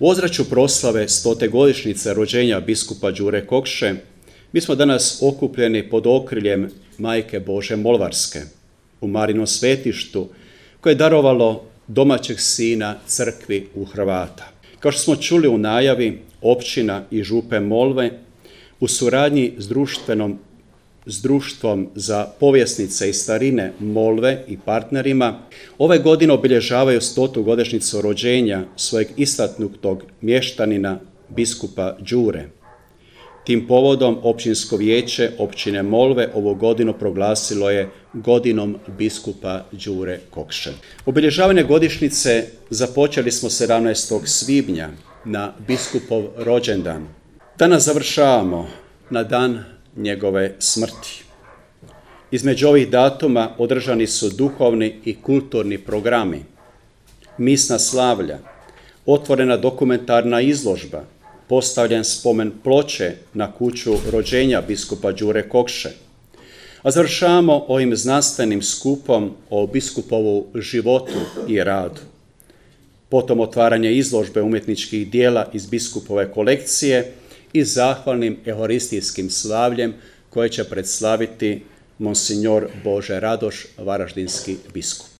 U ozračju proslave 100. godišnjice rođenja biskupa Đure Kokše, mi smo danas okupljeni pod okriljem Majke Bože Molvarske u Marinom svetištu, koje je darovalo domaćeg sina crkvi u Hrvata. Kao što smo čuli u najavi, općina i župe Molve u suradnji s društvom za povjesnice i starine Molve i partnerima ove godine obilježavaju 100. godišnjicu rođenja svojeg istaknutog mještanina biskupa Đure. Tim povodom općinsko vijeće općine Molve ovu godinu proglasilo je godinom biskupa Đure Kokše. Obilježavanje godišnjice započeli smo 17. svibnja na biskupov rođendan. Danas završavamo na dan njegove smrti. Između ovih datuma održani su duhovni i kulturni programi, misna slavlja, otvorena dokumentarna izložba, postavljen spomen ploče na kuću rođenja biskupa Đure Kokše, a završavamo ovim znanstvenim skupom o biskupovu životu i radu. Potom otvaranje izložbe umjetničkih dijela iz biskupove kolekcije i zahvalnim euharistijskim slavljem koje će predslaviti monsignor Bože Radoš, varaždinski biskup.